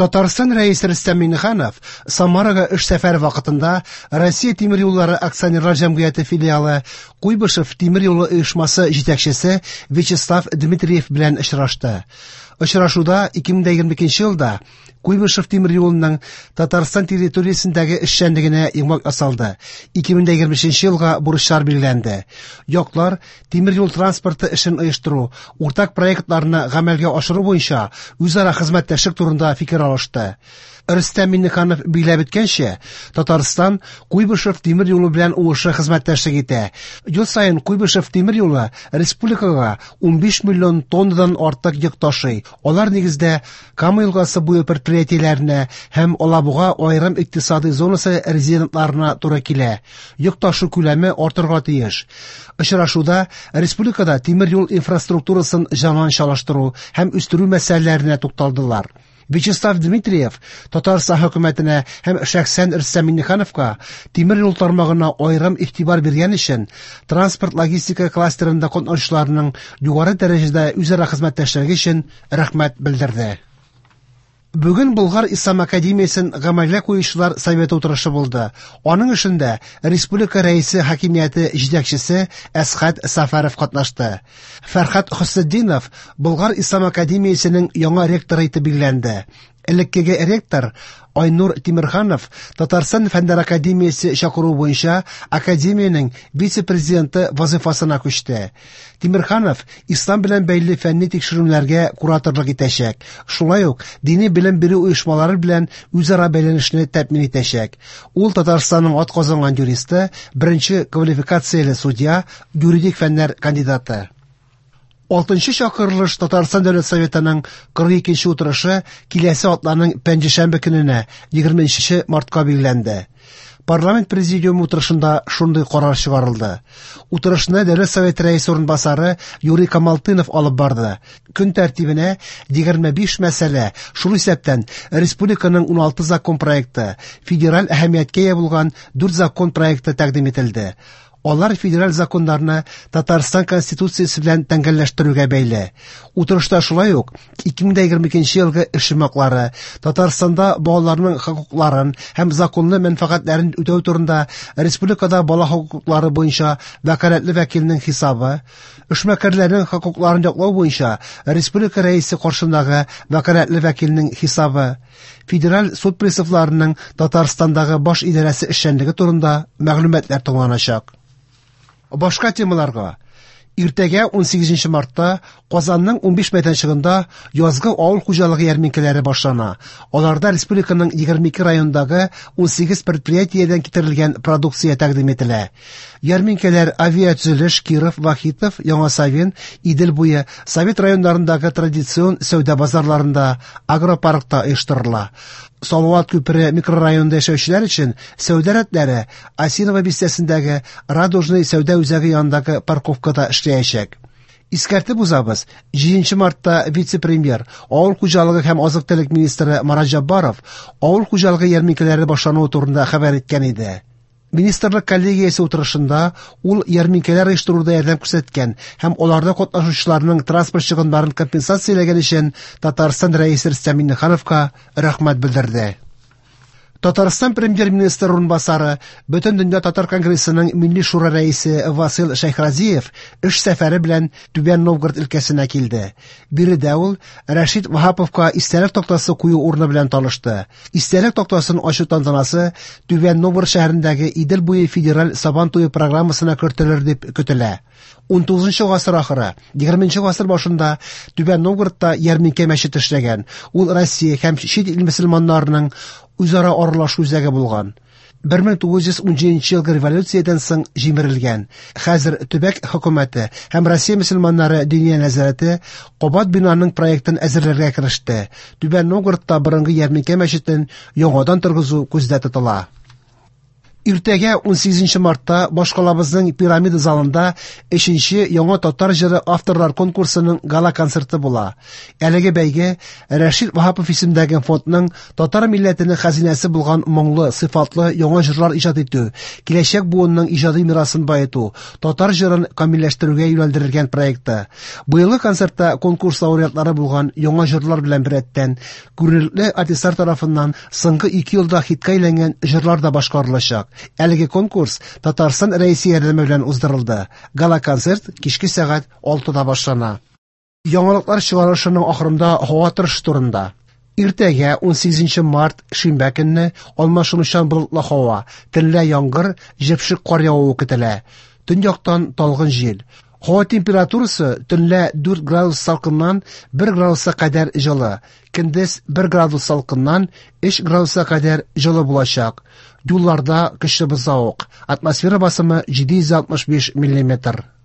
Татарстан Рәисе Рөстәм Миңнеханов Самарага эш сәфәре вакытында Россия тимер юллары акционерлар җәмгыяте филиалы Куйбышев тимер юлы оешмасы җитәкчесе Вячеслав Дмитриев белән очрашты. Очрашуда 2022 елда Куйбышев тимер юлының Татарстан территориясендәге эшчәнлегенә йомгак ясалды. 2023 елга бурычлар билгеләнде. Яклар тимер юл транспорты эшен оештыру, уртак проектларны гамәлгә ашыру буенча үзара хезмәттәшлек турында фикер алышты. Рөстәм Миңнеханов билгеләп үткәнчә, Татарстан Куйбышев тимер юлы белән уңышлы хезмәттәшлек итә. Ел саен Куйбышев тимер юлы республикага 15 миллион тоннадан артык йөк ташый. Алар нигездә Кама елгасы буе предприятиеләренә һәм Алабуга аерым икътисадый зонасы резидентларына туры килә. Йөк ташу күләме артырга тиеш. Очрашуда республикада тимер юл инфраструктурасын заманчалаштыру һәм үстерү мәсьәләләренә тукталдылар. Вячеслав Дмитриев Татарстан хөкүмәтенә һәм шәхсән Рөстәм Миңнехановка тимер юл тармагына аерым игътибар биргән өчен транспорт-логистика кластерында катнашучыларның югары дәрәҗәдә үзара хезмәттәшлеге өчен рәхмәт белдерде. Бүген Болгар Ислам академиясен гамәлгә куючылар советы утырышы булды. Аның эшендә республика рәисе хакимияте җитәкчесе Әсхәт Сафаров катнашты. Фәрхат Хөснетдинов Болгар Ислам академиясенең яңа ректоры итеп билгеләнде. Элеккеге ректор Айнур Тимерханов Татарстан Фәннәр академиясе чакыруы буенча академиянең вице-президенты вазыйфасына күчте. Тимерханов ислам белән бәйле фәнни тикшеренүләргә кураторлык итәчәк. Шулай ук дини белем бирү оешмалары белән үзара бәйләнешне тәэмин итәчәк. Ул Татарстанның атказанган юристы, беренче квалификацияле судья, юридик фәннәр кандидаты. Алтынчы чакырылыш Татарстан Дәүләт Советының 42нче утырышы киләсе атнаның пәнҗешәмбе көненә, 20 мартка билгеләнде. Парламент президиумы утырышында шундый карар чыгарылды. Утырышны Дәүләт Советы рәисе урынбасары Юрий Камалтынов алып барды. Көн тәртибенә 25 мәсьәлә, шул исәптән республиканың 16 закон проекты, федераль әһәмияткә ия булган 4 закон проекты тәкъдим ителде. Алар федераль законнарны Татарстан Конституциясе белән тәңгәлләштерүгә бәйле. Утырышта шулай ук 2022 елгы эш йомгаклары, Татарстанда балаларның хокукларын һәм законлы мәнфәгатьләрен үтәү турында республикада бала хокуклары буенча вәкаләтле вәкилнең хисабы, эшмәкәрләрнең хокукларын яклау буенча республика рәисе каршындагы вәкаләтле вәкилнең хисабы, Федераль суд приставларының Татарстандагы баш идарәсе эшчәнлеге турында мәгълүматлар тыңланачак. Башка темаларга. Иртәгә 18 мартта Казанның 15 мәйданчыгында язгы авыл хуҗалыгы ярминкәләре башлана. Аларда республиканың 22 районындагы 18 предприятиедән китерелгән продукция тәкъдим ителә. Ярминкәләр Авиатөзелеш, Киров, Вахитов, Яңа Савин, Идел буе, Совет районнарындагы традицион сәүдә базарларында, агропаркта оештырыла. Салават күпере микрорайонында яшәүчеләр өчен сәүдә рәтләре Осиново бистәсендәге Радужный сәүдә үзәге янындагы парковкада эшләячәк. Искәртеп узабыз, 7 мартта вице-премьер, авыл хуҗалыгы һәм азык-төлек министры Марат Җаббаров авыл хуҗалыгы ярминкәләре башлануы турында хәбәр иткән иде. Министрлык коллегиясе утырышында ул ярминкәләр оештыруда ярдәм күрсәткән һәм аларда катнашучыларның транспорт чыгымнарын компенсацияләгән өчен Татарстан Рәисе Рөстәм Миңнехановка рәхмәт белдерде. Татарстан премьер-министры урынбасары, Бөтендөнья татар конгрессының Милли шура рәисе Васил Шәйхразиев эш сәфәре белән Түбән Новгород өлкәсенә килде. Биредә ул Рәшит Ваһаповка истәлек тактасы кую урыны белән танышты. Истәлек тактасын ачу тантанасы Түбән Новгород шәһәрендәге Идел буе федераль Сабан туе программасына кертелер дип көтелә. 19 гасыр ахыры, 20 гасыр башында Түбән Новгородта ярминкә мәчете эшләгән. Ул Россия һәм чит ил мөселманнарының үзара аралашу үзәге булган. 1917 елгы революциядән соң җимерелгән. Хәзер төбәк хөкүмәте һәм Россия мөселманнары Диния нәзарәте кабат бинаның проектын әзерләргә кереште. Түбән Новгородта борынгы ярминкә мәчетен яңадан торгызу күздә тотыла. Иртәгә, 18 мартта, башкалабызның Пирамида залында өченче Яңа татар җыры авторлар конкурсының гала-концерты була. Әлеге бәйге Рәшит Ваһапов исемендәге фондның татар милләтенең хәзинәсе булган моңлы, сыйфатлы яңа җырлар иҗат итү, киләчәк буынның иҗади мирасын баету, татар җырын камилләштерүгә юнәлдерелгән проекты. Быелгы концертта конкурс лауреатлары булган яңа җырлар белән беррәттән, күренекле артистлар тарафыннан соңгы ике елда хитка әйләнгән җырлар да башкарылачак. Әлеге конкурс Татарстан Рәисе ярдәме белән уздырылды. Гала-концерт кичке сәгать 6-да башлана. Яңалыклар чыгарылышының ахырында һава торышы турында. Иртәгә 18 март шимбә көнне алмашынучан болытлы һава, төнлә яңгыр, җепшек кар явуы көтелә. Төньяктан талгын җил. Һава температурасы төнлә 4 градус салкыннан 1 градуска кадәр җылы, көндез 1 градус салкыннан 3 градуска кадәр җылы булачак. Юлларда көчле бозлавык. Атмосфера басымы 765 миллиметр.